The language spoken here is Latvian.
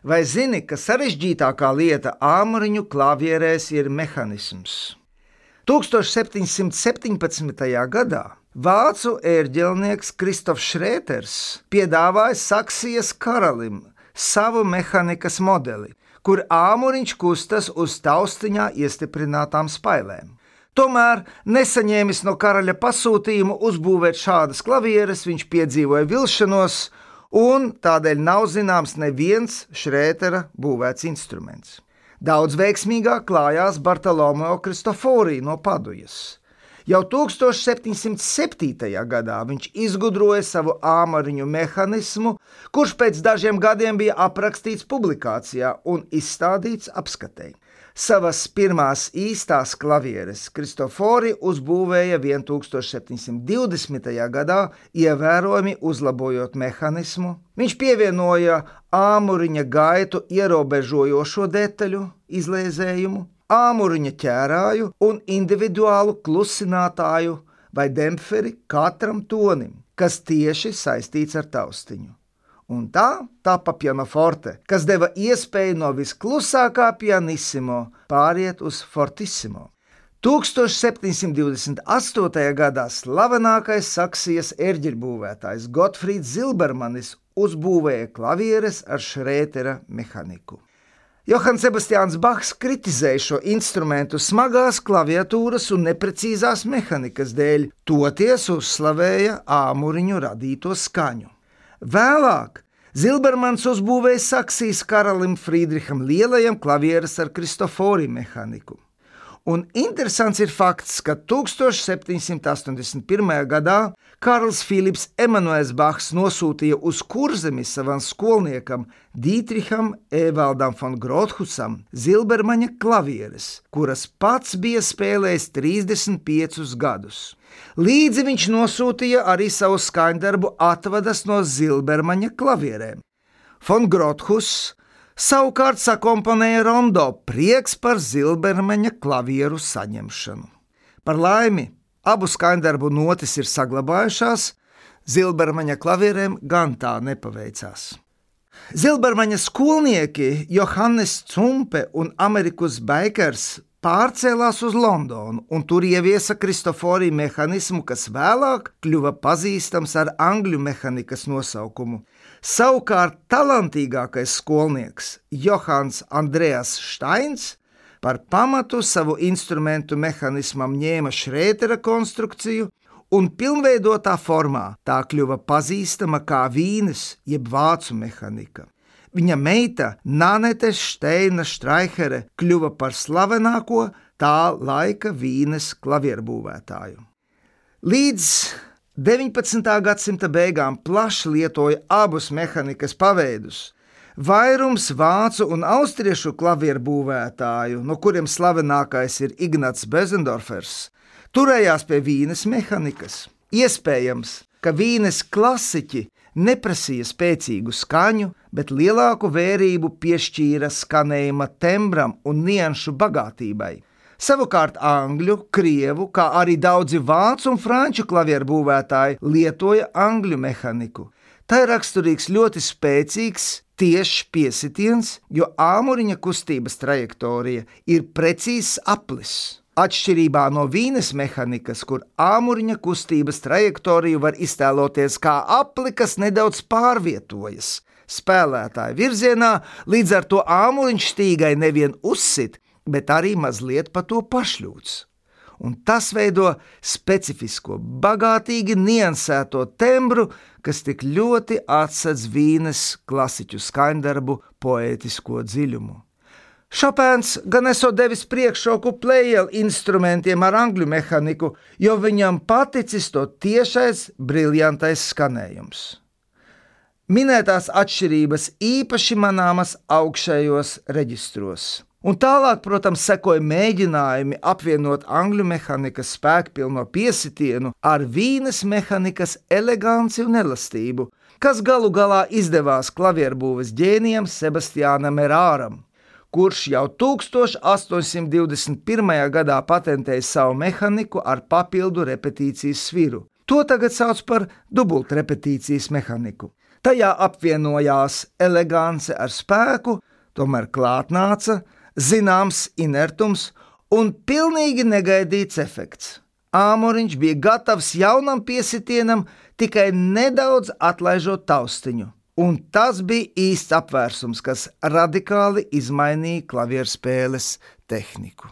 Vai zini, ka sarežģītākā lieta āmuriņu klavierēs ir mehanisms? 1717. gadā vācu ērģelnieks Kristofs Šrēters piedāvāja Saksijas karalim savu mehanikas modeli, kur āmuriņš kustas uz taustiņā iestiprinātām spailēm. Tomēr, nesaņēmis no karaļa pasūtījumu uzbūvēt šādas klavieres, viņš piedzīvoja vilšanos, un tādēļ nav zināms neviens Šrētera būvēts instruments. Daudz veiksmīgāk klājās Bartolomeo Cristofori no Padujas. Jau 1707. gadā viņš izgudroja savu āmuriņu mehanismu, kurš pēc dažiem gadiem bija aprakstīts publikācijā un izstādīts apskatei. Savas pirmās īstās klavieres Cristofori uzbūvēja 1720. gadā, ievērojami uzlabojot mehanismu. Viņš pievienoja āmuriņa gaitu ierobežojošo detaļu, izlēzējumu, āmuriņa ķērāju un individuālu klusinātāju vai dempferi katram tonim, kas tieši saistīts ar taustiņu. Un tā tapa pianoforte, kas deva iespēju no visklusākā pianissimo pāriet uz fortissimo. 1728. gadā slavenākais Saksijas ērģeļbūvētājs Gotfrīds Zilbermanis uzbūvēja klavieres ar Šrētera mehaniku. Johans Sebastians Bachs kritizēja šo instrumentu smagās klaviatūras un neprecīzās mehanikas dēļ, toties uzslavēja āmuriņu radīto skaņu. Vēlāk Zilbermans uzbūvēja Saksijas karalim Friedriham Lielajam klavieres ar Cristofori mehaniku. Un interesants ir fakts, ka 1781. gadā Karls Filips Emanuels Bachs nosūtīja uz Kurzemi savam skolniekam Dītriham Evaldam von Grothusam Zilbermaņa klavieres, kuras pats bija spēlējis 35 gadus. Līdzi viņš nosūtīja arī savu skaņdarbu atvadas no Zilbermaņa klavierēm. Von Grothus savukārt sakomponēja rondo Prieks par Zilbermaņa klavieru saņemšanu. Par laimi, abu skaņdarbu notis ir saglabājušās, Zilbermaņa klavierēm gan tā nepaveicās. Zilbermaņa skolnieki Johannes Cumpe un Amerikus Bakers pārcēlās uz Londonu un tur ieviesa Cristofori mehanismu, kas vēlāk kļuva pazīstams ar angļu mehanikas nosaukumu. Savukārt talantīgākais skolnieks Johans Andreas Steins par pamatu savu instrumentu mehanismam ņēma Šrētera konstrukciju un pilnveidotā formā tā kļuva pazīstama kā Vīnes jeb vācu mehanika. Viņa meita Nanete Steina Štreihere kļuva par slavenāko tā laika Vīnes klavierbūvētāju. Līdz 19. gadsimta beigām plaši lietoja abus mehanikas paveidus. Vairums vācu un austriešu klavierbūvētāju, no kuriem slavenākais ir Ignats Bösendorfers, turējās pie Vīnes mehanikas. Iespējams, ka Vīnes klasiķi neprasīja spēcīgu skaņu, bet lielāku vērību piešķīra skanējuma tembram un nianšu bagātībai. Savukārt angļu, krievu, kā arī daudzi vācu un franču klavierbūvētāji lietoja angļu mehaniku. Tā ir raksturīgs ļoti spēcīgs, tiešs piesitiens, jo āmuriņa kustības trajektorija ir precīzs aplis. Atšķirībā no Vīnes mehanikas, kur āmuriņa kustības trajektoriju var iztēloties kā apli, kas nedaudz pārvietojas spēlētāja virzienā, līdz ar to āmuriņš stīgai nevien uzsit, bet arī mazliet pa to pašļūts. Un tas veido specifisko, bagātīgi niansēto tembru, kas tik ļoti atsedz Vīnes klasiķu skaņdarbu poētisko dziļumu. Šopēns gan esot devis priekšroku plējel instrumentiem ar angļu mehaniku, jo viņam paticis to tiešais, briljantais skanējums. Minētās atšķirības īpaši manāmas augšējos reģistros. Un tālāk, protams, sekoja mēģinājumi apvienot angļu mehanikas spēkpilno piesitienu ar Vīnes mehanikas eleganci un elastību, kas galu galā izdevās klavierbūves ģēnijam Sebastiānam Erāram, kurš jau 1821. gadā patentēja savu mehaniku ar papildu repetīcijas sviru. To tagad sauc par dubultrepetīcijas mehaniku. Tajā apvienojās elegance ar spēku, tomēr klāt nāca zināms inertums un pilnīgi negaidīts efekts. Āmuriņš bija gatavs jaunam piesitienam, tikai nedaudz atlaižot taustiņu, un tas bija īsts apvērsums, kas radikāli izmainīja klavierspēles tehniku.